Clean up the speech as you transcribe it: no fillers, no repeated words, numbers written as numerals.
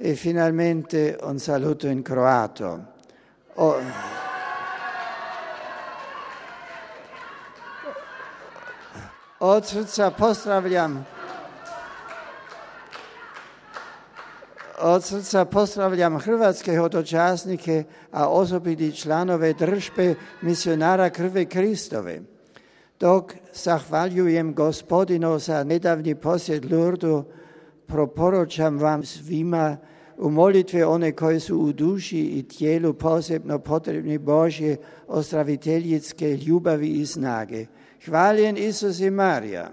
E finalmente un saluto in croato. Od srca pozdravljam hrvatske hodočasnike, a osobiti članove držbe misionara krvi Kristove. Dok zahvaljujem Gospodinu za nedavni posjet Lurdu, proporočam vam svima u molitve one koji su u duši i tijelu posebno potrebni Božje ozdraviteljske ljubavi i snage. Hvaljen Isus i Marija.